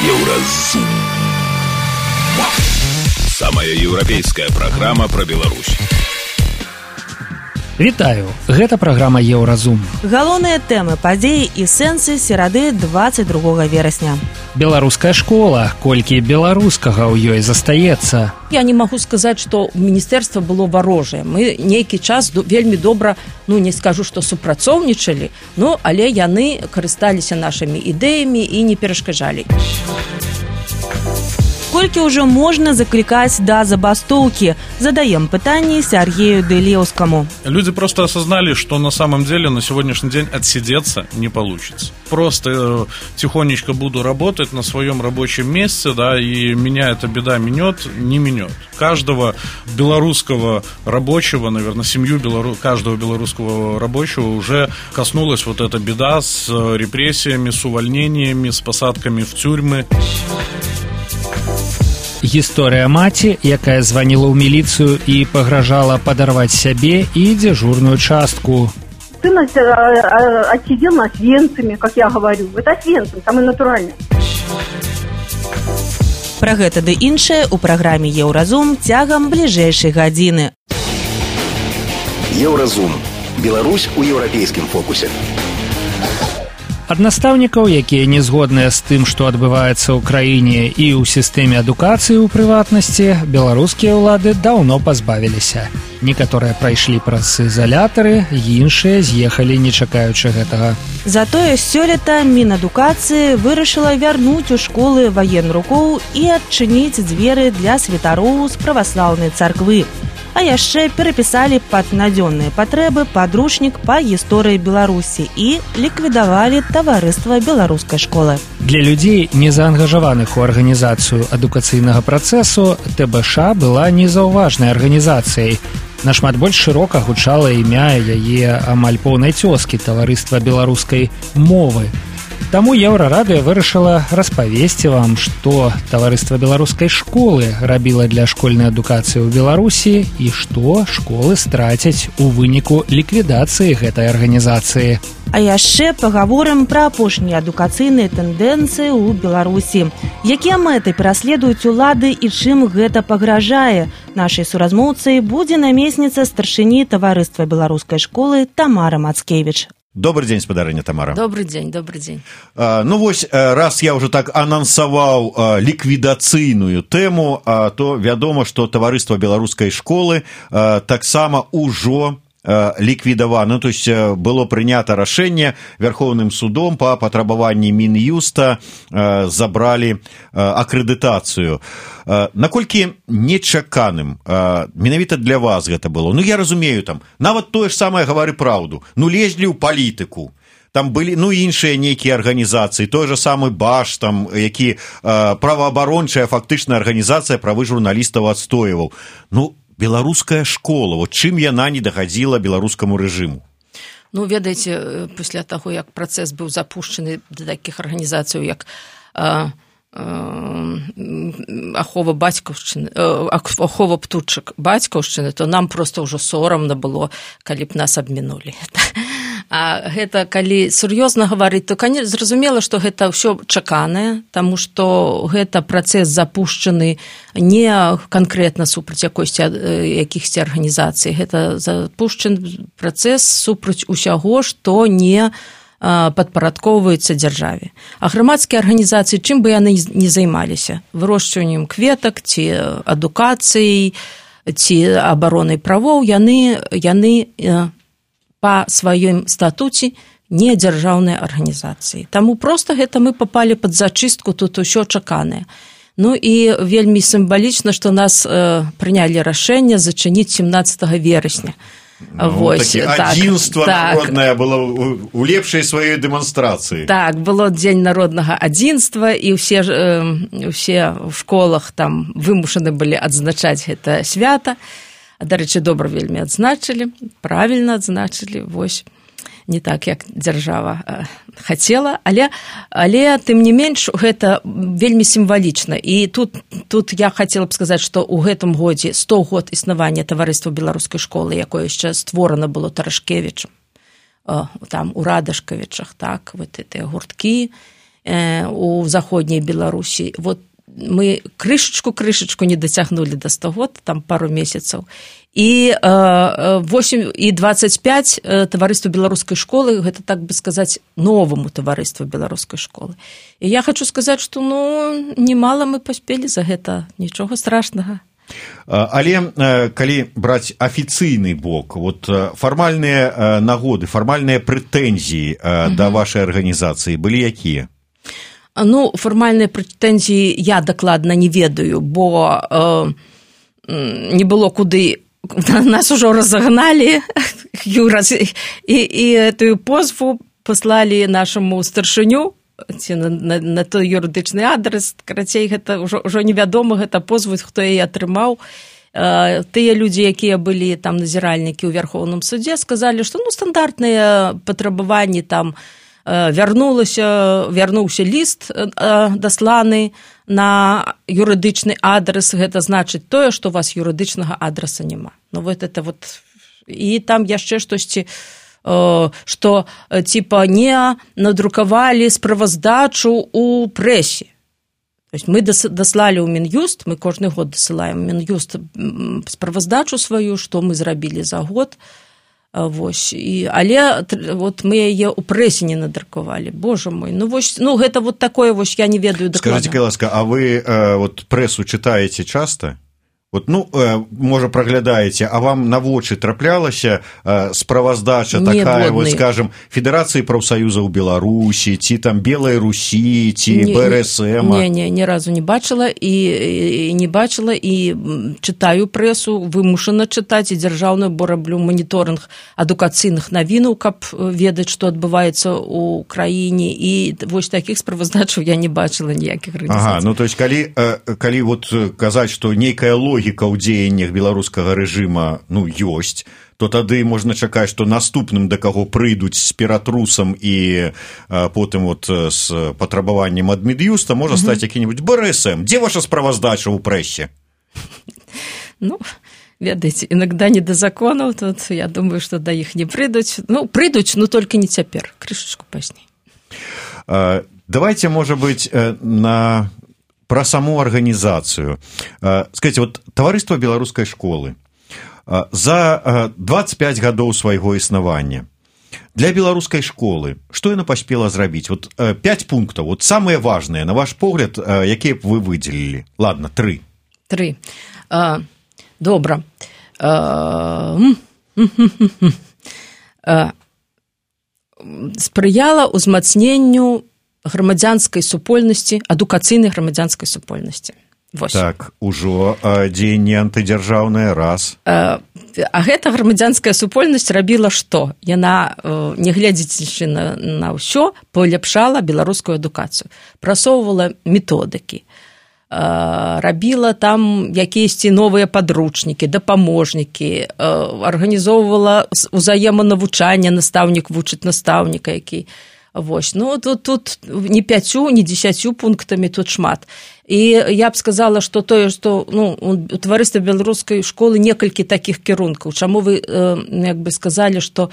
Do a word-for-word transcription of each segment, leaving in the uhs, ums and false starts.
Еўразум. Самая еўрапейская праграма пра Беларусь. Вітаю, гэта праграма Еўразум. Галоўныя тэмы, падзеі і сэнсы серады дваццаць другога верасня. Беларуская школа, колькі беларускага ў ёй застаецца. Я не магу сказаць, што міністэрства было варожае. Мы нейкі час вельмі добра, ну не скажу, што супрацоўнічалі, ну але яны карысталіся нашымі ідэямі і не перашкаджалі. Колькі ўжо можна заклікаць да забастоўкі? Задаем пытанне Сергею Делеўскому. Люди просто осознали, что на самом деле на сегодняшний день отсидеться не получится. Просто э, тихонечко буду работать на своем рабочем месте, да, и меня эта беда минет, не минет. Каждого белорусского рабочего, наверное, семью белору... каждого белорусского рабочего уже коснулась вот эта беда с репрессиями, с увольнениями, с посадками в тюрьмы. Гісторыя маці, якая званіла ў міліцыю і пагражала падарваць сябе і дзяжурную частку. Сын отсидел на Освенциме, как я говорю. Это Освенцим, самое натуральное. Пра гэта ды іншае ў праграме Еўразум цягам бліжэйшай гадзіны. Еўразум. Беларусь у еўрапейскім фокусе. Ад настаўнікаў, якія не згодныя з тым, што адбываецца ў краіне і ў сістэме адукацыі ў прыватнасці, беларускія ўлады даўно пазбавіліся. Некаторыя прайшлі праз ізалятары, іншыя з'ехалі, не чакаючы гэтага. Затое сёлета Мінадукацыі вырашыла вярнуць у школы ваенрукоў і адчыніць дзверы для святароў з праваслаўнай царквы. А яшчэ перапісалі пад надзённыя патрэбы падручнік па гісторыі Беларусі і ліквідавалі таварыства беларускай школы. Для людзей, не заангажаваных у арганізацыю адукацыйнага працэсу, ТБШ была незаўважнай арганізацыяй. Нашмат больш шырока гучала імя яе амаль поўнай цёзкі таварыства беларускай мовы. Таму Еўрарадыё вырашыла распавесці вам, што таварыства беларускай школы рабіла для школьнай адукацыі ў Беларусі і што школы страцяць у выніку ліквідацыі гэтай арганізацыі. А яшчэ пагаворым пра апошнія адукацыйныя тэндэнцыі ў Беларусі. Якія мэты пераследуюць улады і чым гэта пагражае? Нашай суразмоўцай будзе намесніца старшыні таварыства беларускай школы Тамара Мацкевіч. Добрый день, спадарыня Тамара. Добрый день, добрый день. А, ну вось, раз я уже так анансаваў а, ліквідацыйную тэму, а, то вядома, што таварыства беларускай школы а, таксама ўжо ліквідавана, то есть было прынята рашэнне Вярхоўным судом па патрабаванні Мін'юста забралі акрэдытацыю. Наколькі нечаканым менавіта для вас гэта было? Ну, я разумею, там, нават тое ж самае гавары праўду, ну, лезлі ў палітыку. Там былі, ну, іншыя нейкія арганізацыі, той же самы Баш, там, які праваабарончая фактычная арганізацыя правы журналістаў адстойваў. Ну, беларуская школа, вот чым яна не дагадзіла беларускаму рэжыму? Ну, ведаеце, пасля таго, як працэс быў запушчаны да такіх арганізацыяў, як а, а, ахова бацькаўшчыны, ахова птушак бацькаўшчыны, то нам проста ўжо сорамна было, калі б нас абмінулі. А гэта, калі сур'ёзна гаварыць, то, канешне, зразумела, што гэта ўсё чаканае, таму што гэта працэс запушчаны не канкрэтна супраць якосці якіхсьці арганізацый. Гэта запушчаны працэс супраць усяго, што не падпарадкоўваецца дзяржаве. А грамадскія арганізацыі, чым бы яны не займаліся? Вырошчваннем кветак, ці адукацыяй, ці абаронай правоў, яны, яны па сваім статуце не дзяржаўнай арганізацыі. Таму проста гэта мы папалі пад зачыстку, тут усё чаканае. Ну і вельмі сімвалічна, што нас э, прынялі рашэнне зачыніць семнаццатага верасня. Ну, Вось, такі так, адзінства так. народнае было у лепшай сваёй дэманстрацыі. Так, было дзень народнага адзінства, і ўсе, э, ўсе ў школах там вымушаны былі адзначаць гэта свята. Дарэчы, добра вельмі адзначылі, правільна адзначылі, вось, не так, як дзяржава э, хацела, але, але тым не менш, гэта вельмі сімвалічна. І тут, тут я хацела б сказаць, што ў гэтым годзе сто год існавання таварыства беларускай школы, якое яшчэ створана было Тарашкевічам, э, там у Радашкавічах, так, вот гэтыя гурткі, у заходняй Беларусі. Вот мы крышачку-крышачку не дацягнулі да сто год, там пару месяцаў. І восемь і двадцать пять таварыству беларускай школы, гэта, так бы сказаць, новаму таварыству беларускай школы. І я хочу сказаць, што ну, немало мы паспелі за гэта, нічога страшнага. Але калі браць афіцыйны бок, вот фармальныя нагоды, фармальныя прэтэнзіі угу. да вашай арганізацыі былі якія? Ну, фармальныя прэтэнзіі я дакладна не ведаю, бо э, не было куды, нас ужо разагналі, і, і эту позву паслалі нашаму старшыню, ці на, на, на той юрыдычны адрес, карацей, гэта ўжо, ўжо невядома, гэта позву, хто яе атрымаў. Э, тыя людзі, якія былі там назіральнікі ў Вярхоўным судзе, сказалі, што ну, стандартныя патрабаванні там вярнулася, вярнуўся ліст дасланы на юрыдычны адрес, гэта значыць тое, што у вас юрыдычнага адреса няма. Ну вот это вот, і там яшчэ штосьці, што типа не надрукавалі справаздачу у прэсе. То есть мы даслалі ў Мін'юст, мы кожны год дасылаем Мін'юст справаздачу сваю, што мы зрабілі за год. Вось, і, але вот мы яе ў прэсе не надрукавалі, боже мой, ну, вось, ну гэта вот такое, вось, я не ведаю дакладна. Скажите, ласка, а вы э, вот прэсу читаете часто? Вот, ну, э, можа, праглядаеце, а вам на вочы траплялася э, справаздача такая, вот, скажем, Федэрацыі прафсаюзаў Беларусі, ці там Белай Русі, ці Бэ Эр Эс Эм? Не, не, ні разу не бачыла, і, і не бачыла, і чытаю прэсу, вымушана чытаць, і дзяржаўную, бо раблю маніторынг адукацыйных навінаў, каб ведаць, што адбываецца ў краіне, і вось такіх справаздачаў я не бачыла ніякіх арганізацый. Ага, ну, то есть, калі, калі вот казаць, што нейкая логіка логіка ў дзеяннях беларускага рэжыма, ну, ёсць, то тады можна чакаць, што наступным да каго прыйдуць з ператрусам і а, потым вот з патрабаваннем ад Мін'юста можа стаць які-небудзь Бэ Эр Эс Эм. Дзе ваша справаздача ў прэсе? Ну, ведаеце, іногда не да законаў, тут я думаю, што да іх не прыйдуць. Ну, прыйдуць, но толькі не цяпер, крышачку пазней. А, давайте, можа быць, на... про саму арганізацыю. Скажите, вот таварыства беларускай школы за двадцать пять гадоў свайго існавання для беларускай школы што яна паспела зрабіць? Вот пять пунктаў, вот самыя важныя, на ваш погляд, якія б вы выдзелілі? Ладно, три. Три. А, добра. А, а, спрыяла ўзмацненню грамадзянскай супольнасці, адукацыйнай грамадзянскай супольнасці. Вось. Так, ужо дзеянне антыдзяржаўнае, раз. А, а гэта грамадзянская супольнасць рабіла што? Яна, не глядзячы на, на ўсё, паляпшала беларускую адукацыю, прасоўвала методыкі, рабіла там якіясьці новыя падручнікі, дапаможнікі, арганізоўвала узаеманавучанне, настаўнік вучыць настаўніка, які... Вось, ну, тут, тут не пяцю, не дзесяцю пунктамі тут шмат. І я б сказала, што тое, што ну, у таварыстве беларускай школы некалькі такіх кірункаў. Чаму вы, як бы сказалі, што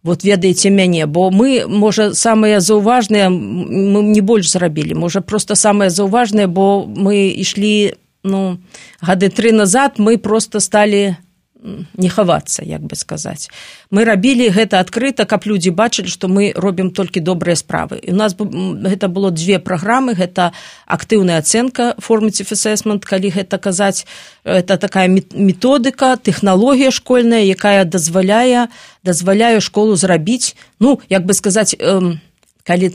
вот ведаеце мяне, бо мы, можа, самыя заўважныя, мы не больш зрабілі, можа, проста самыя заўважныя, бо мы ішлі, ну, гады тры назад, мы проста сталі не хавацца, як бы сказаць. Мы рабілі гэта адкрыта, каб людзі бачылі, што мы робім толькі добрыя справы. І у нас гэта было дзве праграмы, гэта актыўная ацэнка, formative assessment, калі гэта казаць, это такая методыка, тэхналогія школьная, якая дазваляе, дазваляе школу зрабіць, ну, як бы сказаць, эм, калі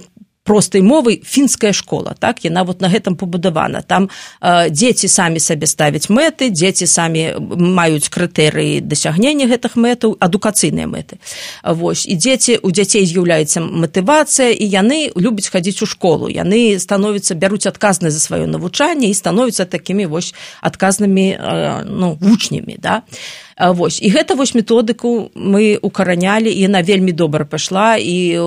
простай мовай, фінская школа, так, яна вот на гэтым пабудавана. Там э, дзеці самі сабе ставяць мэты, дзеці самі маюць крытэрыі дасягнення гэтых мэтаў, адукацыйныя мэты. Вось, і дзеці, у дзяцей з'яўляецца матывацыя, і яны любяць хадзіць у школу, яны становяцца, бяруць адказнасць за сваё навучанне і становяцца такімі вось адказнымі, э, ну, вучнямі, да. Вось. І гэта вось методыку мы укаранялі, і яна вельмі добра пайшла, і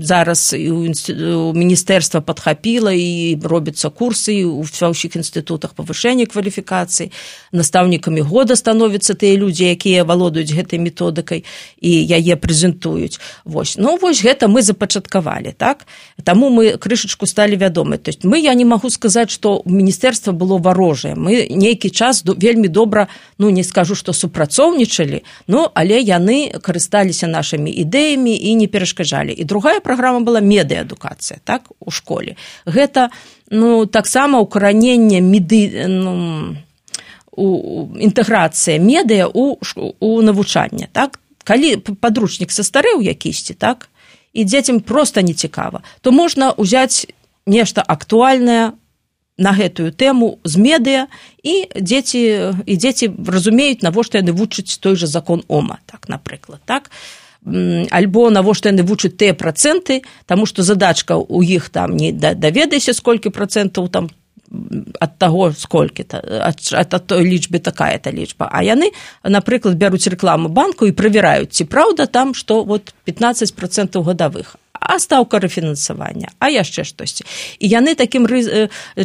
зараз у міністэрства падхапіла, і робяцца курсы у ўсіх інстытутах павышэння кваліфікацыі, настаўнікамі года становяцца тыя людзі, якія валодаюць гэтай методыкай і яе прэзентуюць. Вось. Ну, вось гэта мы запачаткавалі, так? Таму мы крышачку сталі вядомы. То есть мы, я не магу сказаць, што міністэрства было варожае. Мы нейкі час вельмі добра, ну, не скажу, што супрацоўнічалі, ну, але яны карысталіся нашымі ідэямі і не перашкаджалі. І другая праграма была медыаадукацыя, так, у школе. Гэта, ну, таксама укараненне меды, ну, у, інтэграцыя медыа у, у навучанне, так. Калі падручнік састарэў якісьці, так, і дзецям проста не цікава, то можна ўзяць нешта актуальнае на гэтую тэму з медыа, і дзеці, і дзеці разумеюць, навошта яны вучаць той жа закон Ома, так, напрыклад, так? Альбо навошта яны вучаць тыя працэнты, таму што задачка ў іх там не даведайся, сколькі працэнтаў там ад таго, сколькі-то, ад, ад той лічбы такая-то лічба. А яны, напрыклад, бяруць рэкламу банку і правяраюць, ці праўда там, што вот пятнаццаць працэнтаў гадавых. А стаўка рэфінансавання, а яшчэ штосьці. І яны такім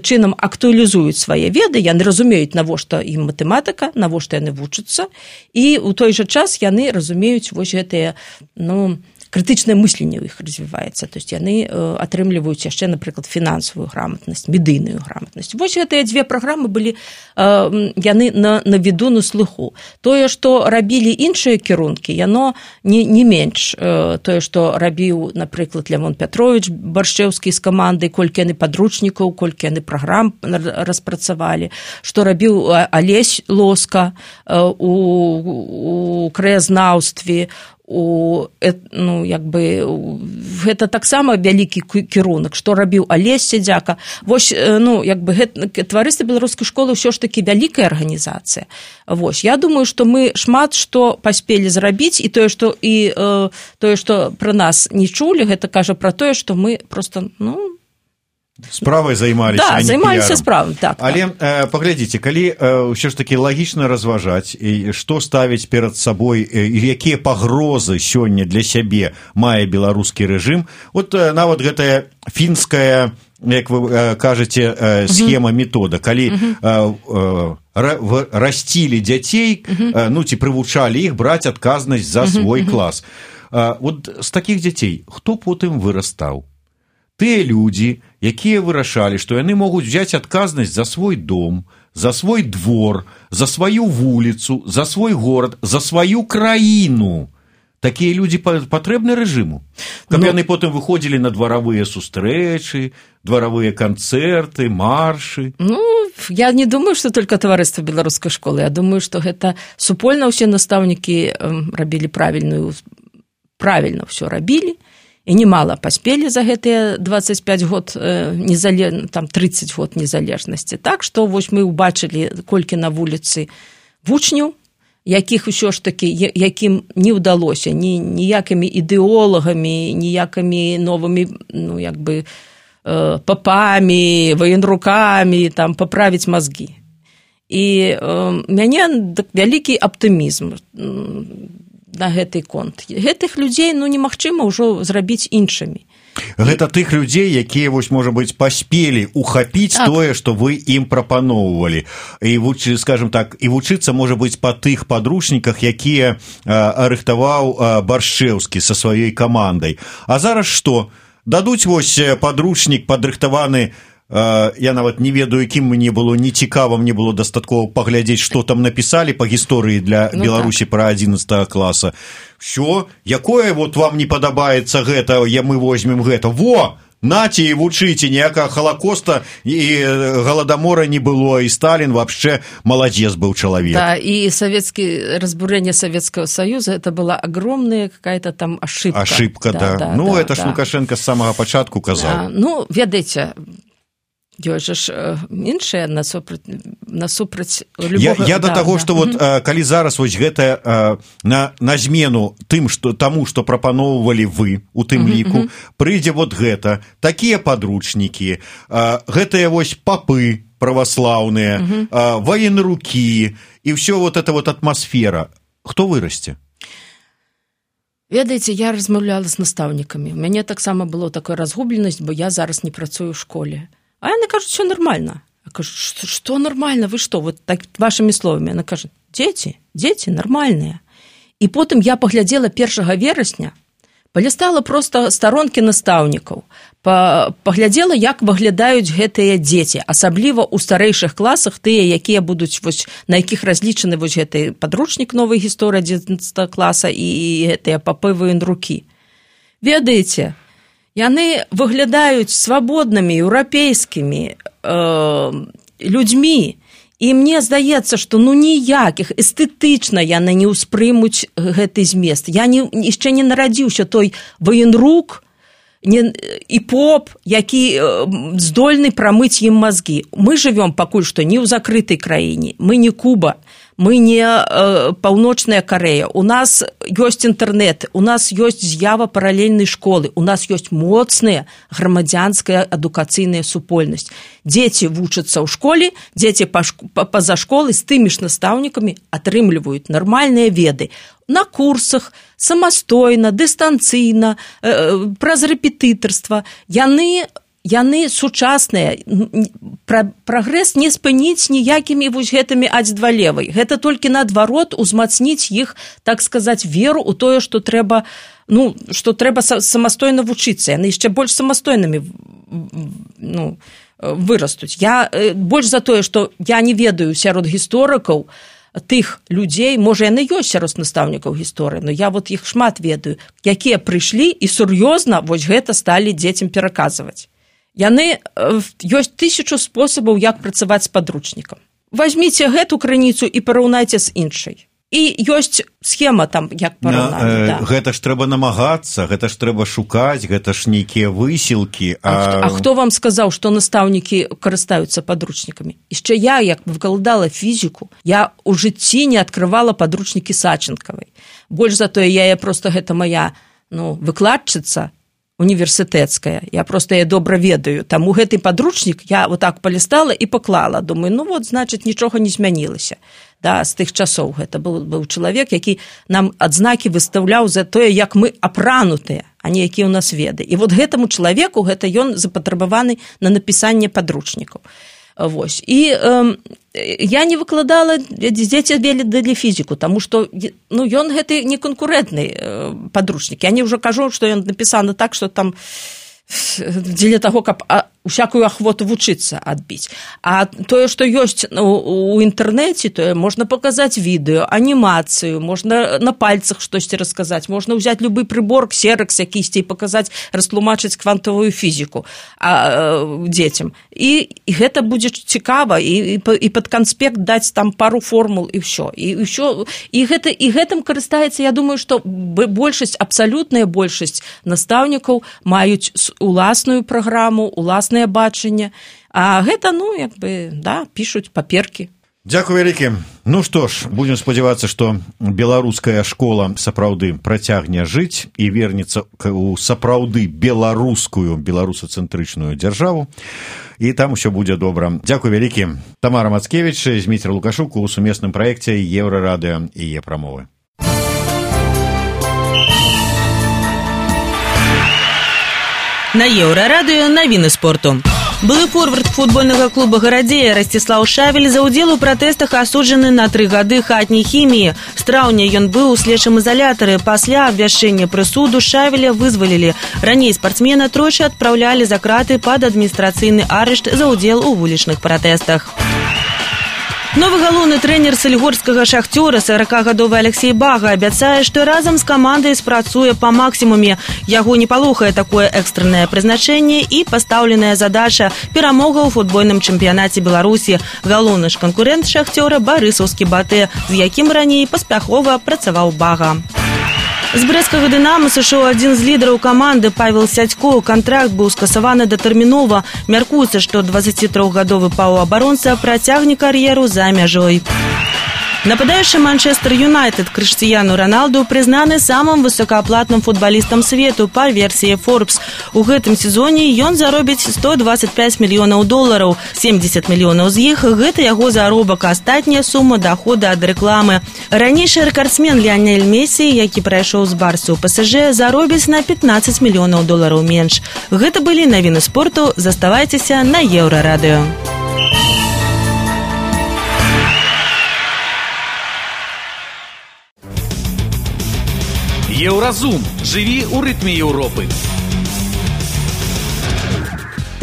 чынам актуалізуюць свае веды, яны разумеюць, навошта ім матэматыка, навошта яны вучацца, і ў той жа час яны разумеюць вось гэтыя, ну, крытычнае мысленне ў іх развіваецца, то есть яны атрымліваюць яшчэ, напрыклад, фінансавую грамотнасць, медыйную грамотнасць. Вось гэтыя дзве праграмы былі, яны на, на віду, на слыху. Тое, што рабілі іншыя кірункі, яно не, не менш. Тое, што рабіў, напрыклад, Лявон Пятровіч Баршчэўскі з камандай, колькі яны падручнікаў, колькі яны праграм распрацавалі, што рабіў Алесь Лоска у, у краязнаўстве, у, ну, як бы, гэта таксама вялікі кірунак, што рабіў Алесь Сядзяка. Вось, ну, як бы, гэта, таварыства беларускай школы ўсё ж такі вялікая арганізацыя. Вось, я думаю, што мы шмат што паспелі зрабіць, і тое, што, і, э, тое, што пра нас не чулі, гэта кажа пра тое, што мы проста, ну, справай займаліся, да, а не займаліся піярам. справай, так. Але э, паглядзіце, калі ўсё ж такі лагічна разважаць, і што ставіць перад сабой, і якія пагрозы сёння для сябе мае беларускі рэжым, от э, нават гэтая фінская, як вы э, кажаце, э, схема uh-huh. метода, калі uh-huh. э, э, расцілі дзяцей, uh-huh. э, ну, ці прывучалі іх браць адказнасць за свой uh-huh. клас. Э, от з такіх дзяцей хто потым вырастаў? Тыя людзі, якія вырашалі, што яны могуць взяць адказнасць за свой дом, за свой двор, за сваю вуліцу, за свой горад, за сваю краіну. Такія людзі патрэбны рэжыму. Каб ну, яны потым выходзілі на дваравыя сустрэчы, дваравыя канцэрты, маршы. Ну, я не думаю, што толькі таварыства беларускай школы. Я думаю, што гэта супольна ўсе настаўнікі рабілі правільную, правільна ўсё рабілі. І немало паспелі за гэтыя дваццаць пяць год, незалеж... там трыццаць год незалежнасці. Так, што вось мы ўбачылі, колькі на вуліцы вучняў, якіх ўсё ж такі, якім не ўдалося ні, ніякімі ідэолагамі, ніякімі новымі, ну, як бы, папамі, военрукамі, там, паправіць мазгі. І э, мяне вялікі аптымізм на гэты конт. Гэтых людзей, ну, немагчыма ўжо зрабіць іншымі. Гэта тых людзей, якія, вось, можа быць, паспелі ухапіць так. тое, што вы ім прапаноўвалі. І, скажем так, і вучыцца, можа быць, па тых падручніках, якія а, рыхтаваў а, Баршчэўскі са сваёй камандай. А зараз што? Дадуць, вось, падручнік падрыхтаваны. Я нават не ведаю, якім мне было нецікава, мне было дастаткова паглядзець, што там напісалі па гісторыі для ну, Беларусі так. пра адзінаццатага класа. Всё, якое вот вам не падабаецца гэта, я мы возьмем гэта. Во! Наце і вучыце, ніякага халакоста і галадамора не было, і Сталін вообще маладзец быў чалавек. Да, і савецкі, разбурэнне Савецкага Саюза, это была огромная какая-то там ошибка. Ошибка, да. да. да ну, да, это да. ж Лукашенко з самага пачатку казаў. Да, ну, ведаеце, ёсць ж іншыя насупраць, насупраць любога... Я, я да, да таго, да. што вот, mm-hmm. калі зараз вось гэта на, на змену тым, што, таму, што прапаноўвалі вы у тым mm-hmm. ліку, прыйдзе вот гэта, такія падручнікі, гэтыя вось папы праваслаўныя, mm-hmm. военрукі, і ўсё вот эта вот атмасфера. хто вырасце? Ведаеце, я размаўляла з настаўнікамі. У мяне таксама было такая разгубленасць, бо я зараз не працую ў школе. А яны кажуць, все нормально. Я кажу, что, что нормально, вы что, вот так вашими словами. Она кажет, дети, дети нормальные. И потом я поглядела первого вересня, полистала просто сторонки настаўнікаў, поглядела, як выглядаюць гэтыя дзеці, асабліва ў старэйшых класах, тыя, якія будуць, вось, на якіх разлічаны вось гэты падручнік новай гісторыі адзінаццатага класа і гэтыя папы военрукі. Ведаеце, яны выглядаюць свабоднымі, еўрапейскімі э, людзьмі, і мне здаецца, што ну ніякіх эстэтычна яны не ўспрымуць гэты змест. Я не, яшчэ не нарадзіўся той военрук не, і поп, які здольны прамыць ім мазгі. Мы жывём пакуль што не ў закрытай краіне, мы не Куба, мы не э, Паўночная Карэя, у нас ёсць інтэрнэт, у нас ёсць з'ява паралельнай школы, у нас ёсць моцная грамадзянская адукацыйная супольнасць. Дзеці вучацца ў школе, дзеці па-за школы з тымі ж настаўнікамі атрымліваюць нармальныя веды на курсах, самастойна, дыстанцыйна, э, праз рэпетытарства. Яны яны сучасныя, прагрэс не спыніць ніякімі вось гэтымі аць-два-левай. Гэта толькі наадварот узмацніць іх, так сказаць, веру ў тое, што трэба, ну, што трэба самастойна вучыцца. Яны яшчэ больш самастойнымі ну, вырастуць. Я больш за тое, што я не ведаю сярод гісторыкаў тых людзей, можа, яны ёсць сярод настаўнікаў гісторыі, но я вот іх шмат ведаю, якія прыйшлі і сур'ёзна вось гэта сталі дзецям пераказваць. Яны, ёсць тысячу спосабаў, як працаваць з падручнікам. Вазьміце гэту крыніцу і параўнайце з іншай. І ёсць схема там, як параўнаць. Э, да. Гэта ж трэба намагацца, гэта ж трэба шукаць, гэта ж нейкія высілкі. А... А хто вам сказаў, што настаўнікі карыстаюцца падручнікамі? Яшчэ я, як выкладала фізіку, я ў жыцці не адкрывала падручнікі Сачынкавай. Больш за тое, я, я просто гэта моя ну, выкладчыца, універсітэцкая, я просто я добра ведаю, таму гэты падручнік я вот так палістала і паклала, думаю, ну вот, значыць, нічога не змянілася, да, з тых часоў. Гэта быў, быў чалавек, які нам адзнакі выстаўляў за тое, як мы апранутыя, а не якія ў нас веды. І вот гэтаму чалавеку гэта ён запатрабаваны на напісанне падручнікаў. Вось. І э, я не выкладала, дзеці ведалі фізіку, таму што ну, ён гэты не канкурэнтны э, падручнік. Я не ўжо кажу, што ён напісаны так, што там дзеля таго, каб а, усякую ахвоту вучыцца адбіць. А тое, што ёсць у, у інтэрнэце, тое можна паказаць відэо, анімацыю, можна на пальцах штосьці расказаць, можна ўзяць любы прыбор, ксеракс якісьці і паказаць, растлумачыць квантавую фізіку а, а, дзецям. І, і гэта будзе цікава, і, і, і пад канспект даць там пару формул, і ўсё. І, і, ўсё. І, гэта, і гэтым карыстаецца, я думаю, што большасць, абсалютная большасць настаўнікаў маюць уласную праграму, уласнае бачанне, а гэта, ну, як бы, да, пішуць паперкі. Дзякуй вялікі. Ну што ж, будзем спадзявацца, што беларуская школа сапраўды працягне жыць і вернецца ў сапраўды беларускую, беларусацэнтрычную дзяржаву, і там усё будзе добра. Дзякуй вялікі. Тамара Мацкевіч, Зміцер Лукашук у сумесным праекце Еўрарадыё і Е-прамовы. На Еўрарадыё навіны спорту. Былы форвард футбольнага клуба «Гарадзея» Расціслаў Шавель за ўдзел у пратэстах асуджаны на тры гады хатняй хіміі. З траўня ён быў у следчым изолятары. Пасля абвяшчэння прысуду Шавеля вызвалілі. Раней спартсмена тройчы адпраўлялі за краты пад адміністрацыйны арышт за ўдзел у вулічных пратэстах. Новы галоўны трэнер сальгорскага «Шахцёра» саракагадовы Алексей Бага абяцае, што разам з камандай спрацуе па максімуме. Яго не палохае такое экстраннае прызначэнне і пастаўленая задача перамога ў футбольным чэмпіянаце Беларусі. Галоўны ж канкурэнт «Шахцёра» барысаўскі «Батэ», з якім раней паспяхова працаваў Бага. З брэсцкага «Дынама» сышоў адзін з лідараў каманды Павел Сядько. Кантракт быў скасаваны датэрмінова. Мяркуецца, што дваццацітрохгадовы паўабаронца працягне кар'еру за мяжой. Нападающий Манчестер Юнайтед Криштиану Роналду признаны самым высокооплатным футболистом свету по версии Forbes. У гэтым сезоне ён заробіць сто двадцать пять мільёнаў долараў. семьдесят мільёнаў з іх гэта яго заробак, а астатняя сума дохода ад рэкламы. Ранейшы рэкардсмен Ліонель Мессі, які прайшоў з Барсы ў ПСЖ, заробіць на пятнадцать мільёнаў долараў менш. Гэта былі навіны спорту. Заставайцеся на Еўрарадыё. Еўразум. Жыві ў рытме Еўропы.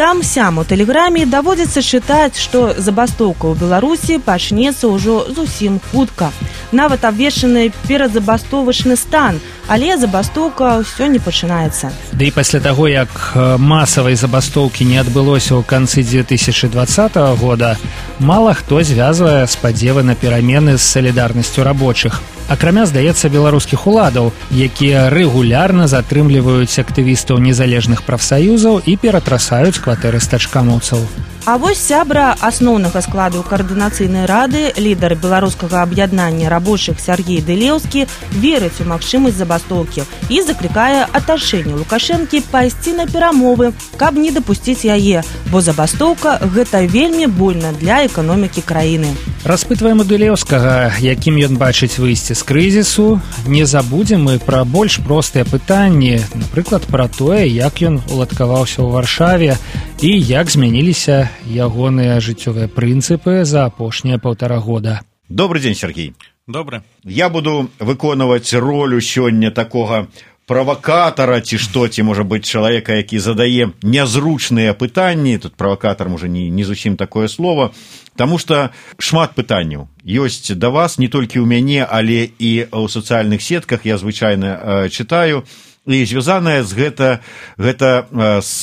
Там-сям у тэлеграме даводзіцца чытаць, што забастоўка ў Беларусі пачнецца ўжо зусім хутка. Нават абвешчаны перадзабастовачны стан, але забастоўка ўсё не пачынаецца. Да і пасля таго, як масавай забастоўкі не адбылося ў канцы две тысячы двадцатага года, мала хто звязвае спадзевы на перамены з салідарнасцю рабочых. Акрамя, здаецца, беларускіх уладаў, якія рэгулярна затрымліваюць актывістаў незалежных прафсаюзаў і ператрасаюць кватэры стачкамоўцаў. А вось сябра асноўнага складу каардынацыйнай рады, лідар беларускага аб'яднання рабочых Сяргей Дылеўскі верыць у магчымасць забастоўкі і заклікае атачэнне Лукашэнкі пайсці на перамовы, каб не дапусціць яе, бо забастоўка – гэта вельмі больна для эканомікі краіны. Распытваем у Дылеўскага, якім ён бачыць выйсце з крызісу. Не забудзем мы пра больш простыя пытанні, напрыклад, пра тое, як ён уладкаваўся ў Варшаве і як змяніліся ягоныя жыццёвыя прынцыпы за апошнія паўтара года. Добрый день, Сергей. Добрый. Я буду выконваць ролю сёння такога правакатара, ці што, ці, можа быць, чалавека, які задае нязручныя пытанні. Тут правакатар, можа, не, не зусім такое слово. Таму што шмат пытанняў ёсць да вас, не толькі ў мяне, але і ў сацыяльных сетках, я звычайна э, чытаю. І звязаная з гэта, гэта з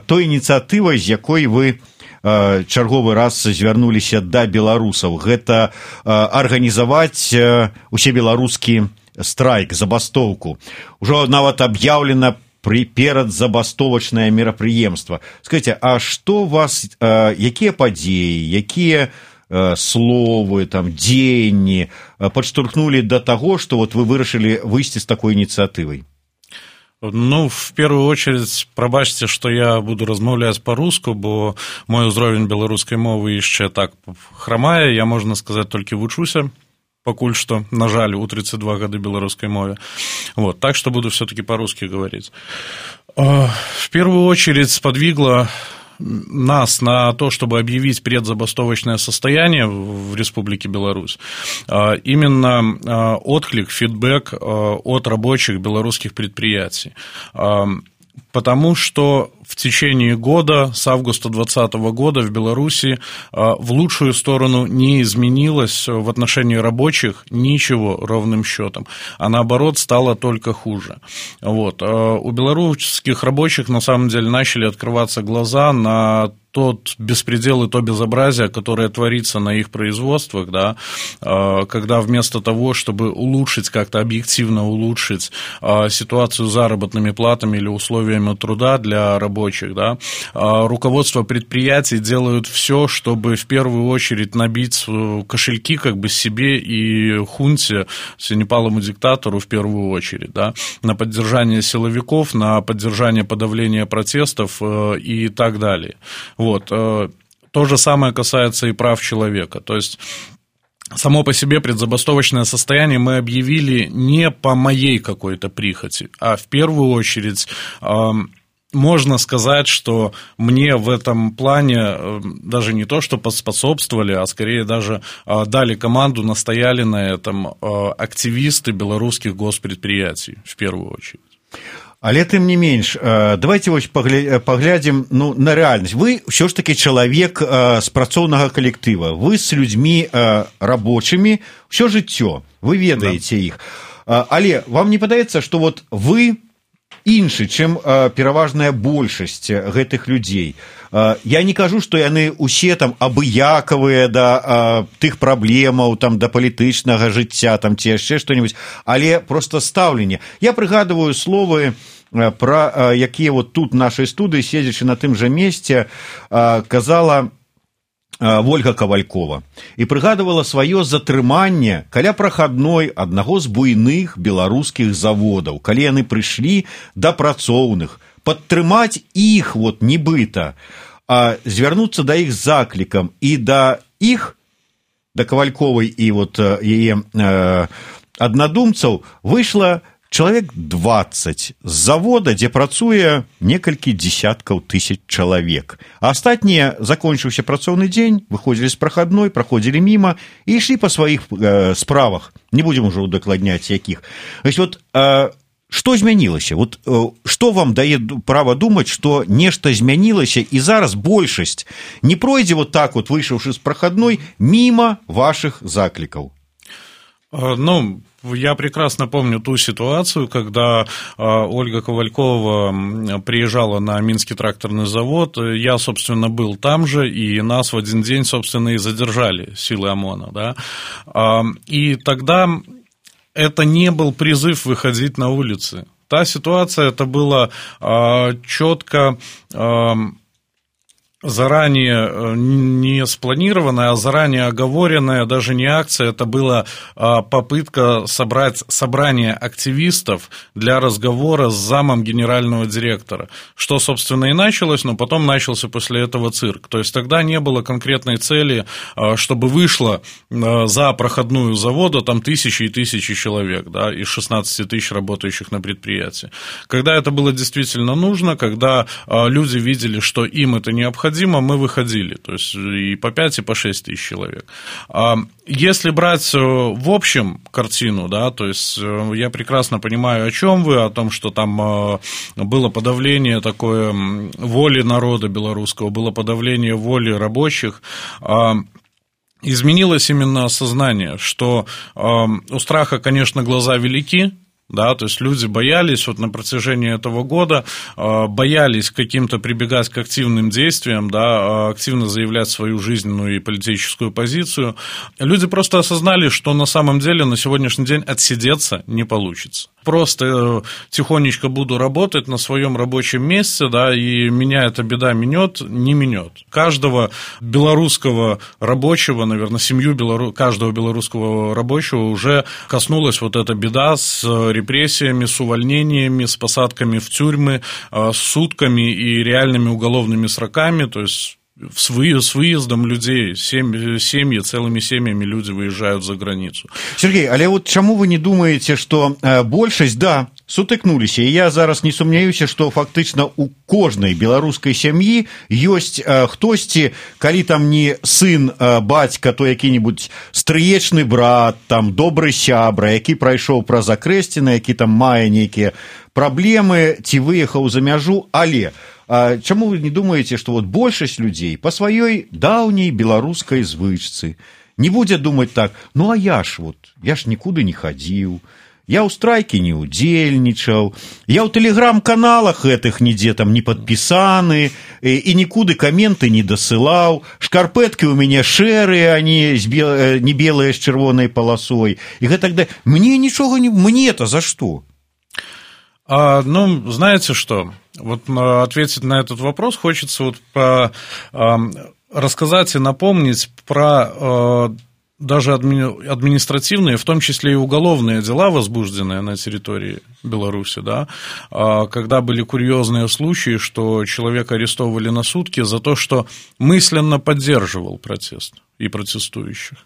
той ініцыятывай, з якой вы чарговы раз звярнуліся да беларусаў. Гэта арганізаваць усебеларускі страйк, забастоўку. Ужо нават аб'яўлена перадзабастовачнае мерапрыемства. Скажыце, а што вас, якія падзеі, якія словы, там, дзеянні падштурхнулі да таго, што вот вы вырашылі выйсці з такой ініцыятывай? Ну, в первую очередь, прабачце, што я буду размаўляць па-руску, бо мой узровень беларускай мовы яшчэ так храмае, я, можна сказаць, толькі вучуся, пакуль што, на жаль, у тридцать два гады беларускай мове. Вот, так что буду все-таки по-русски говорить. В первую очередь сподвигло нас на то, чтобы объявить предзабастовочное состояние в Республике Беларусь, именно отклик, фидбэк от рабочих белорусских предприятий. Потому что в течение года, с августа двадцатого года в Беларуси в лучшую сторону не изменилось в отношении рабочих ничего ровным счетом, а наоборот стало только хуже. Вот. У белорусских рабочих на самом деле начали открываться глаза на тот беспредел и то безобразие, которое творится на их производствах, да, когда вместо того, чтобы улучшить, как-то объективно улучшить ситуацию с заработными платами или условиями труда для рабочих, да, руководство предприятий делают все, чтобы в первую очередь набить кошельки как бы себе и хунте, синепалому диктатору в первую очередь, да, на поддержание силовиков, на поддержание подавления протестов и так далее. Вот. То же самое касается и прав человека. То есть само по себе предзабастовочное состояние мы объявили не по моей какой-то прихоти, а в первую очередь можно сказать, что мне в этом плане даже не то, что поспособствовали, а скорее даже дали команду, настояли на этом активисты белорусских госпредприятий в первую очередь. Але тым не менш, давайте вось паглядзім, ну, на рэальнасць. Вы ўсё ж такі чалавек з працоўнага калектыва, вы з людзьмі рабочымі ўсё жыццё, вы ведаеце іх. Але вам не падаецца, што вот вы іншы, чым пераважная большасць гэтых людзей? Я не кажу, што яны усе там абыякавыя да тых праблемаў, там, да палітычнага жыцця, там, ці яшчэ што-нибудь, але проста стаўленне. Я прыгадываю словы, пра якія вот тут нашай студыі, седзячы на тым жа месце, казала Вольга Кавалькова і прыгадывала сваё затрыманне каля прахадной аднаго з буйных беларускіх заводаў, калі яны прыйшлі да працоўных, падтрымаць іх вот нібыта, а звярнуцца да іх заклікам і да іх, да Кавальковай і вот яе э, аднадумцаў выйшла чалавек дваццаць з завода, дзе працуе некалькі дзесяткаў тысяч чалавек. А астатнія, закончыўся працоўны дзень, выходзілі з прахадной, праходзілі міма і ішлі па сваіх э, справах. Не будзем ужо удакладняць якіх. Вось вот, э, што змянілася? Вот, э, што вам дае права думаць, што нешта змянілася і зараз большасць не пройдзе вот так вот, выйшаўшы з прахадной, міма вашых заклікаў? Ну, я прекрасно помню ту ситуацию, когда Ольга Ковалькова приезжала на Минский тракторный завод. Я, собственно, был там же, и нас в один день, собственно, и задержали силы ОМОНа. Да? И тогда это не был призыв выходить на улицы. Та ситуация, это было четко заранее не спланированная, а заранее оговоренная, даже не акция, это была попытка собрать собрание активистов для разговора с замом генерального директора, что, собственно, и началось, но потом начался после этого цирк. То есть тогда не было конкретной цели, чтобы вышло за проходную завода там тысячи и тысячи человек, да, из шестнадцати тысяч работающих на предприятии. Когда это было действительно нужно, когда люди видели, что им это необходимо, мы выходили, то есть и по пять, и по шесть тысяч человек. Если брать в общем картину, да, то есть я прекрасно понимаю, о чем вы, о том, что там было подавление такое воли народа белорусского, было подавление воли рабочих. Изменилось именно осознание, что у страха, конечно, глаза велики. Да, то есть люди боялись вот на протяжении этого года, боялись каким-то прибегать к активным действиям, да, активно заявлять свою жизненную и политическую позицию. Люди просто осознали, что на самом деле на сегодняшний день отсидеться не получится. Просто тихонечко буду работать на своем рабочем месте, да, и меня эта беда минет, не минет. Каждого белорусского рабочего, наверное, семью белору... каждого белорусского рабочего уже коснулась вот эта беда с репрессиями, с увольнениями, с посадками в тюрьмы, с сутками и реальными уголовными сроками, то есть с выездом людей, семьи, семьи, целыми семьями люди выезжают за границу. Сергей, але вот чаму вы не думаете, что э, большасць, да, сутыкнуліся, і я зараз не сумняюся, што фактычна у кожнай беларускай сям'і ёсць э, хтосьці, калі там не сын, э, бацька, то які-небудзь стрыечны брат, там добры сябра, які прайшоў праз акрэсціны, які там мае нейкія праблемы, ці выехаў за мяжу, але а чаму вы не думаете, что вот большасць людзей по сваёй даўняй беларускай звычцы не будзе думаць так, ну а я ж вот, я ж нікуды не хадзіў, я ў страйкі не удзельнічаў, я ў тэлеграм-каналах гэтых нідзе там не падпісаны, і, і нікуды каменты не дасылаў, шкарпэткі ў мяне шэрыя, а не, бел... не белыя з чырвонай паласой, і гэтак да... Мне нічога не... Мне-то за што? А, ну, знаете что, вот ответить на этот вопрос хочется вот по, а, рассказать и напомнить про а, даже адми, административные, в том числе и уголовные дела, возбужденные на территории Беларуси, да, а, когда были курьезные случаи, что человека арестовывали на сутки за то, что мысленно поддерживал протест и протестующих.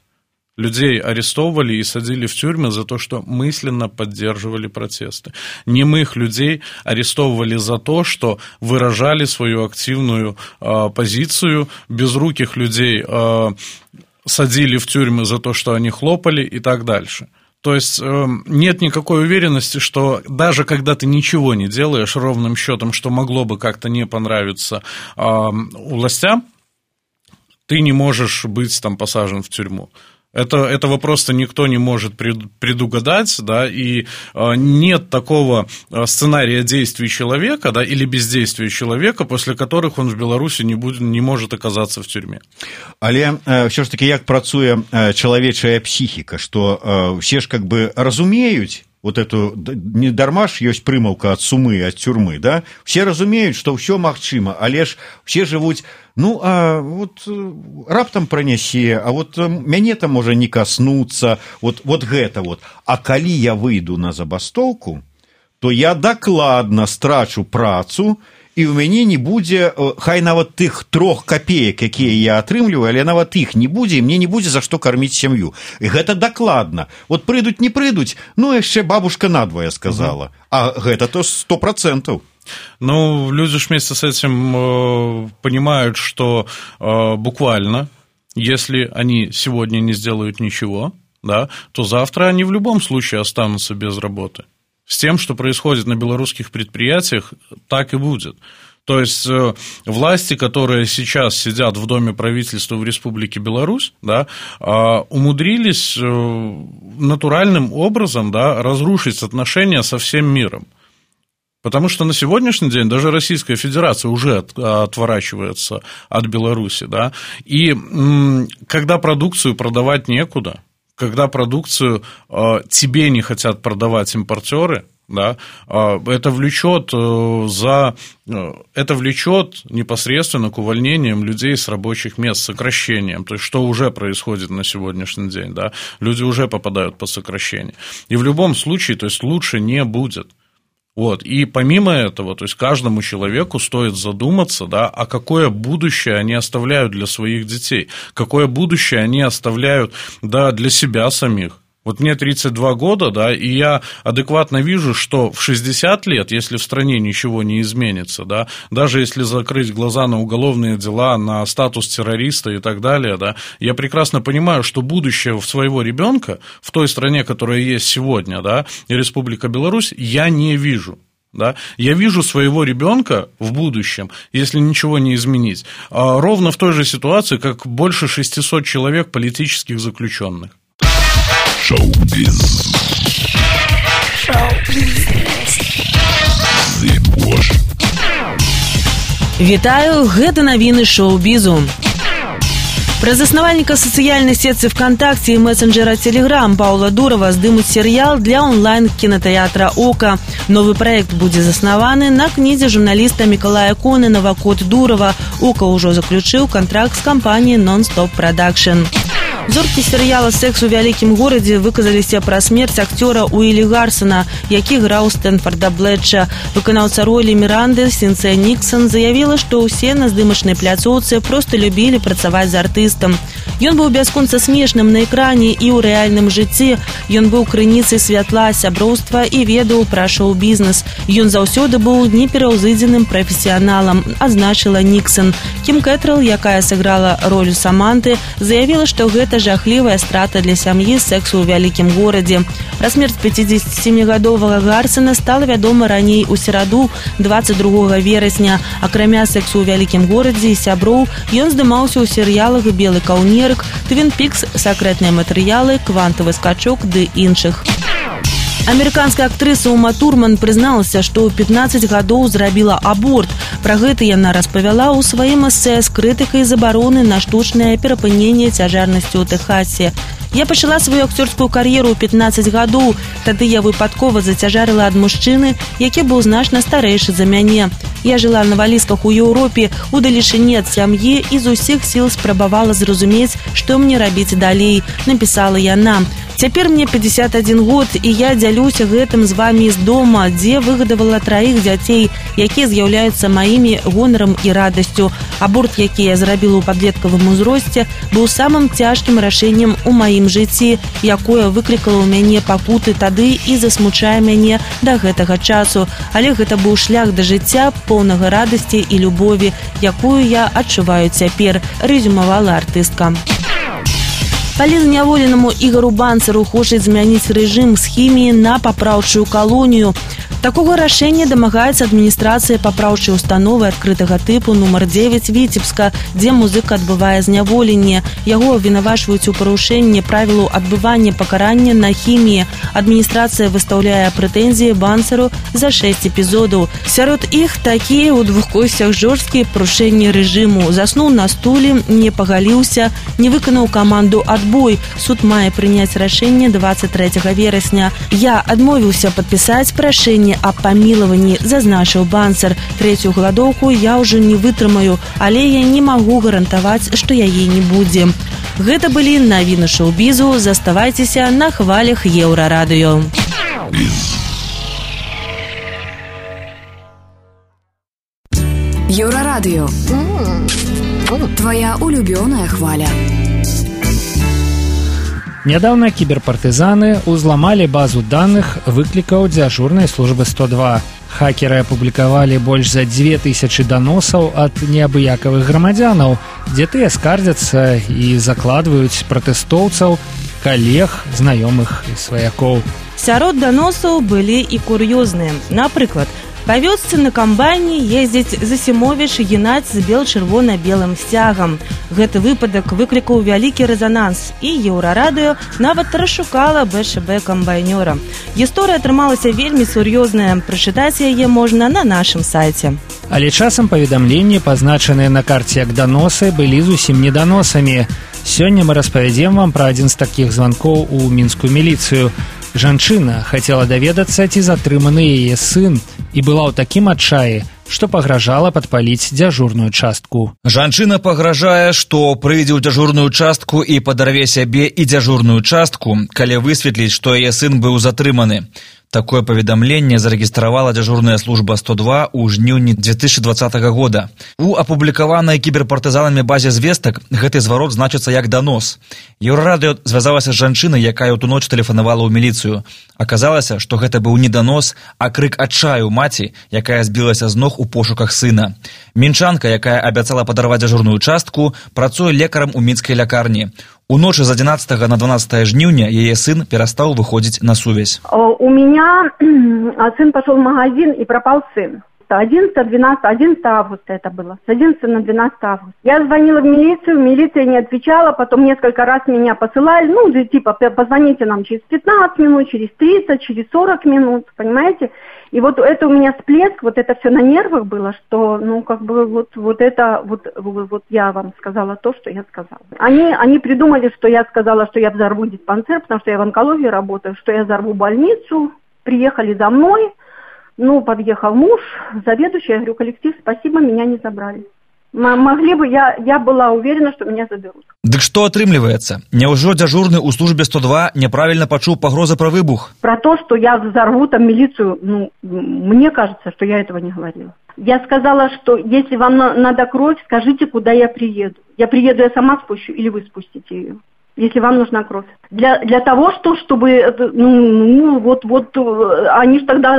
Людей арестовывали и садили в тюрьмы за то, что мысленно поддерживали протесты. Немых людей арестовывали за то, что выражали свою активную э, позицию. Безруких людей э, садили в тюрьмы за то, что они хлопали и так дальше. То есть э, нет никакой уверенности, что даже когда ты ничего не делаешь ровным счетом, что могло бы как-то не понравиться э, властям, ты не можешь быть там посажен в тюрьму. Это, этого просто никто не может предугадать, да, и нет такого сценария действий человека, да, или бездействия человека, после которых он в Беларуси не, будет, не может оказаться в тюрьме. Але все ж таки, як працуе чалавечая псіхіка, што все ж как бы разумеюць, вот эту недарма ж ёсць прымаўка ад сумы, ад цюрмы, да? Все разумеюць, што ўсё магчыма, але ж все жывуць, ну, а вот раптам пранясе, а вот мяне там можа не каснуцца, вот, вот гэта вот. А калі я выйду на забастоўку, то я дакладна страчу працу, і ў мяне не будзе, хай нават тых трох капеек, якія я атрымліваю, але нават іх не будзе, і мне не будзе за што карміць сям'ю. І гэта дакладна. Вот прыйдуць, не прыйдуць, ну, яшчэ бабушка надвое сказала. Угу. А гэта то сто процентов. Ну, люди ж вместе с этим э, понимают, что э, буквально, если они сегодня не сделают ничего, да, то завтра они в любом случае останутся без работы. С тем, что происходит на белорусских предприятиях, так и будет. То есть э, власти, которые сейчас сидят в Доме правительства в Республике Беларусь, да, э, умудрились э, натуральным образом, да, разрушить отношения со всем миром. Потому что на сегодняшний день даже Российская Федерация уже от, отворачивается от Беларуси, да, и м, когда продукцию продавать некуда, когда продукцию э, тебе не хотят продавать импортеры, да, э, это влечет э, за э, это влечет непосредственно к увольнениям людей с рабочих мест, сокращением, то есть что уже происходит на сегодняшний день, да, люди уже попадают под сокращение. И в любом случае, то есть лучше не будет. Вот. И помимо этого, то есть каждому человеку стоит задуматься, да, а какое будущее они оставляют для своих детей, какое будущее они оставляют, да, для себя самих. Вот мне тридцать два года, да, и я адекватно вижу, что в шестьдесят лет, если в стране ничего не изменится, да, даже если закрыть глаза на уголовные дела, на статус террориста и так далее, да, я прекрасно понимаю, что будущее своего ребенка в той стране, которая есть сегодня, да, и Республика Беларусь, я не вижу. Да? Я вижу своего ребенка в будущем, если ничего не изменить, ровно в той же ситуации, как больше шестисот человек политических заключенных. Шоу-биз. Шоу-биз. Вітаю, гэта навіны шоу-бізу. Пра заснавальніка сацыяльнай сетцы ВКонтакте і месенджера Телеграм Паўла Дурова здымуць серыял для онлайн-кінатэатра «Ока». Новы праект будзе заснаваны на кнізе журналіста Мікалая Конанова «Код Дурова». «Ока» ўжо заключыў кантракт з кампаніяй «Non-Stop Production». Зоркі серыяла «Секс у вялікім горадзе» выказаліся пра смерць акцёра Уілі Гарсона, які граў Стэнфорда Блетча. Выканаўца ролі Міранды Сінцыя Ніксон заявіла, што ўсе на здымачнай пляцоўцы проста любілі працаваць з артыстам. Ён быў бясконца смешным на экране і ў рэальным жыцці. Ён быў крыніцай святла, сяброўства і ведаў пра шоу-бізнес. Ён заўсёды быў непераўзыдзеным прафесіяналам, адзначыла Ніксон. Кім Кэтрэл, якая сыграла роль Саманты, заявіла, што гэта жахлівая страта для сям'і «Сексу ў вялікім горадзе». Пра смерць пяцідзесяцісемігадовага Гарсона стала вядома раней у сераду, дваццаць другога верасня. Акрамя «Сексу ў вялікім горадзе» і сяброў, ён здымаўся ў серыялах «Белы каўнерык», «Твін Пікс», «Сакрэтныя матэрыялы», «Квантавы скачок» ды іншых. Амерыканская актрыса Ума Турман прызналася, што ў пятнаццаць гадоў зрабіла аборт. Пра гэта яна распавяла ў сваім эсэ з крытыкай забароны на штучнае перапыненне цяжарнасці ў Тэхасе. Я пачала сваю акцёрскую кар'еру ў пятнаццаць гадоў. Тады я выпадкова зацяжарыла ад мужчыны, які быў значна старэйшы за мяне. Я жыла на валізках у Еўропе, у далечыні ад сям'і і з усіх сіл спрабавала зразумець, што мне рабіць далей, напісала яна. Цяпер мне пятьдесят один год, і я дзялюся гэтым з вамі з дома, дзе выгадавала траіх дзяцей, якія з'яўляюцца маімі гонарам і радасцю. Аборт, які я зрабіла ў падлеткавым узросце, быў самым цяжкім рашэннем у маім жыцці, якое выклікала ў мяне пакуты тады і засмучае мяне да гэтага часу. Але гэта быў шлях да жыцця, поўнага радасці і любові, якую я адчуваю цяпер, рэзюмавала артыстка. Палізняволенаму Ігару Банцару хочуць змяніць рэжым з хіміі на папраўчую калонію. Такого рашэння дамагаецца адміністрацыя папраўчай установы адкрытага тыпу нумар дзевяць Віцебска, дзе музыка адбывае зняволенне. Яго абвінавачваюць у парушэнні правілаў адбывання пакарання на хіміі. Адміністрацыя выстаўляе прэтэнзіі бансеру за шэсць эпізодаў. Сярод іх такія ў двух косцях жорсткія парушэнні рэжыму. Заснуў на стуле, не пагаліўся, не выканаў каманду «Адбой». Суд мае прыняць рашэнне дваццаць трэцяга верасня. Я адмовіўся падпісаць прашэнне аб памілаванні, зазначыў бансер. Трэцюю галадоўку я ўжо не вытрымаю, але я не магу гарантаваць, што яе не будзе. Гэта былі навіны шоу-бізу. Заставайцеся на хвалях Еўрарадыё. Еўрарадыё. Твоя улюбёная хваля. Нядаўна кіберпартызаны ўзламалі базу даных выклікаў дзяжурнай службы сто два. Хакеры апублікавалі больш за дзве тысячы даносаў ад неабыякавых грамадзянаў, дзе тыя скардзяцца і закладваюць пратэстоўцаў, калег, знаёмых і сваякоў. Сярод даносаў былі і кур'ёзныя. Напрыклад, па вёсцы на камбайне ездзіць Засімовіч генаць з бел-чырвона-белым сцягам. Гэты выпадак выклікаў вялікі рэзананс, і Еўрарадыё нават расшукала бэ эш бэ камбайнёра. Гісторыя атрымалася вельмі сур'ёзная. Прачытаць яе можна на нашым сайце. Але часам паведамленні, пазначаныя на карце як даносы, былі зусім не даносамі. Сёння мы распавядзем вам пра адзін з такіх званкоў у мінскую міліцыю. Жанчына хацела даведацца, ці затрыманы яе сын, і была ў такім адчаі, што пагражала падпаліць дзяжурную частку. Жанчына пагражае, што прыйдзе ў дзяжурную частку і падарве сябе і дзяжурную частку, калі высветліць, што яе сын быў затрыманы. Такое паведамленне зарэгістравала дзяжурная служба сто два ў жніўні дзве тысячы дваццатага года. У апублікаванай кіберпартызанамі базе звестак гэты зварот значыцца як данос. Еўрарадыё звязалася з жанчынай, якая ў ту ноч тэлефанавала ў міліцыю. Аказалася, што гэта быў не данос, а крык адчаю маці, якая збілася з ног у пошуках сына. Мінчанка, якая абяцала падарваць дзяжурную частку, працуе лекарам у мінскай лякарні. У ночы з адзінаццатага на дванаццатае жніўня яе сын перастаў выходзіць на сувязь. У меня сын пошел в магазин и пропал сын. одиннадцатого, двенадцатого, одиннадцатого августа это было. С одиннадцатого на двенадцатое августа. Я звонила в милицию, милиция не отвечала, потом несколько раз меня посылали, ну, типа, позвоните нам через пятнадцать минут, через тридцать, через сорок минут, понимаете? И вот это у меня всплеск, вот это все на нервах было, что, ну, как бы, вот, вот это, вот, вот я вам сказала то, что я сказала. Они, они придумали, что я сказала, что я взорву диспансер, потому что я в онкологии работаю, что я взорву больницу, приехали за мной. Ну, подъехал муж, заведующий, я говорю, коллектив, спасибо, меня не забрали. М- могли бы, я, я была уверена, что меня заберут. Дык што атрымліваецца? Няўжо дзяжурны ў службе сто два неправільна пачуў пагрозы пра выбух? Про то, что я взорву там милицию, ну, мне кажется, что я этого не говорила. Я сказала, что если вам на- надо кровь, скажите, куда я приеду. Я приеду, я сама спущу, или вы спустите ее. Если вам нужна кровь. Для, для того, что, чтобы, ну, ну вот, вот, они же тогда,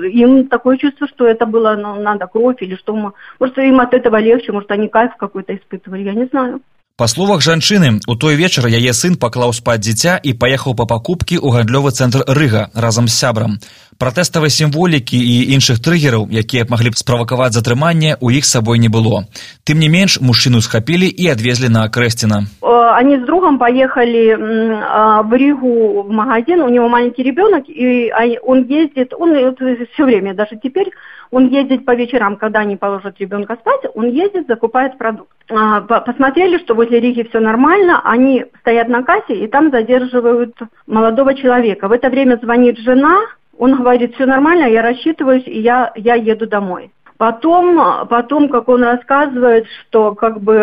им такое чувство, что это было, ну, надо кровь, или что, может, им от этого легче, может, они кайф какой-то испытывали, я не знаю. Па словах жанчыны, у той вечар яе сын паклаў спаць дзіця і паехаў па пакупкі ў гандлёвы цэнтр Рыга разам з сябрам. Пратэставай сімволікі і іншых трыгераў, якія б маглі б справакаваць затрыманне, у іх з сабой не было. Тым не менш, мужчыну схапілі і адвезлі на Крэсціна. Они с другом поехали в Ригу в магазин, у него маленький ребенок, и он ездит, он все время, даже теперь, он ездит по вечерам, когда они положат ребенка спать, он ездит, закупает продукт. Посмотрели, что возле Риги все нормально, они стоят на кассе и там задерживают молодого человека. В это время звонит жена, он говорит, все нормально, я рассчитываюсь, и я, я еду домой. Потом, потом, как он рассказывает, что как бы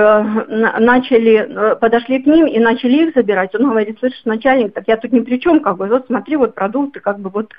начали, подошли к ним и начали их забирать. Он говорит, слышишь, начальник, так я тут ни при чем, как бы, вот смотри, вот продукты, как бы вот,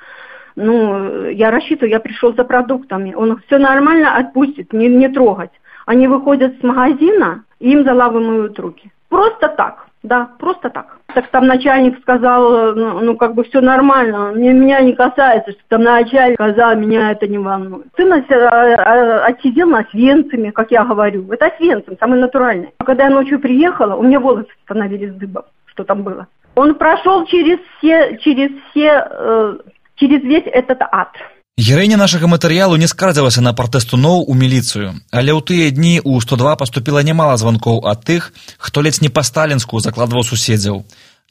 ну, я рассчитываю, я пришел за продуктами. Он все нормально, отпустит, не, не трогать. Они выходят с магазина, и им заламывают руки. Просто так, да, просто так. Так там начальник сказал, ну, ну как бы все нормально, мне, меня не касается, что там начальник сказал, меня это не волнует. Сын отсидел на Освенциме, как я говорю, это Освенцим, самый натуральный. Когда я ночью приехала, у меня волосы становились дыбом, что там было. Он прошел через все, через все, э, через весь этот ад. Гераіня нашага матэрыялу не скардзілася на пратэстуноў у міліцыю, але ў тыя дні ў сто два паступіла нямала званкоў ад тых, хто ледзь не па-сталінску закладваў суседзяў.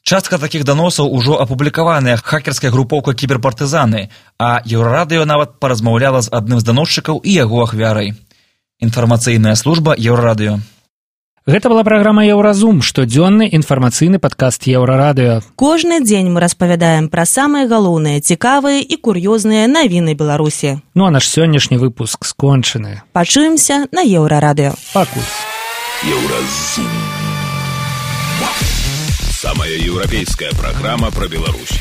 Частка такіх даносаў ужо апублікаваная хакерскай групоўкай кіберпартызаны, а Еўрарадыё нават паразмаўляла з адным з даносчыкаў і яго ахвярай. Інфармацыйная служба Еўрарадыё. Гэта была праграма «Еўразум», штодзённы інфармацыйны падкаст Еўрарадыё. Кожны дзень мы распавядаем пра самыя галоўныя, цікавыя і кур'ёзныя навіны Беларусі. Ну а наш сённяшні выпуск скончаны. Пачуемся на Еўрарадыё. Пакуль. Еўразум. Самая еўрапейская праграма пра Беларусь.